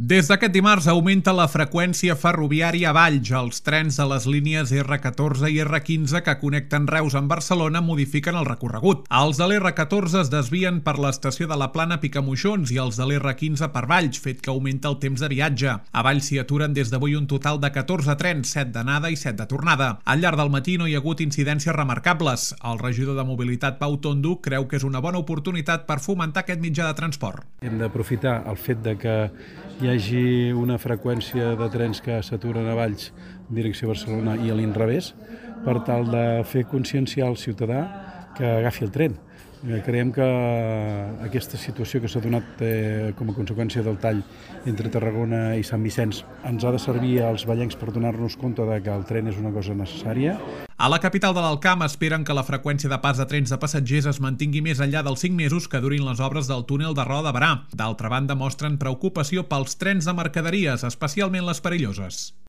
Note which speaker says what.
Speaker 1: Des d'aquest dimarts augmenta la freqüència ferroviària a Valls. Els trens de les línies R14 i R15 que connecten Reus amb Barcelona modifiquen el recorregut. Els de l'R14 es desvien per l'estació de la Plana Picamoixons i els de l'R15 per Valls, fet que augmenta el temps de viatge. A Valls s'hi aturen des d'avui un total de 14 trens, 7 d'anada i 7 de tornada. Al llarg del matí no hi ha hagut incidències remarcables. El regidor de Mobilitat, Pau Tondo, creu que és una bona oportunitat per fomentar aquest mitjà de transport.
Speaker 2: Hem d'aprofitar el fet de que hi hagi una freqüència de trens que s'aturen a Valls en direcció a Barcelona i a l'inrevés per tal de fer conscienciar al ciutadà que agafi el tren. Creiem que aquesta situació que s'ha donat com a conseqüència del tall entre Tarragona i Sant Vicenç ens ha de servir als vallencs per donar-nos compte de que el tren és una cosa necessària.
Speaker 1: A la capital de l'Alt-Camp esperen que la freqüència de pas de trens de passatgers es mantingui més enllà dels 5 mesos que durin les obres del túnel de Roda de Barà. D'altra banda, mostren preocupació pels trens de mercaderies, especialment les perilloses.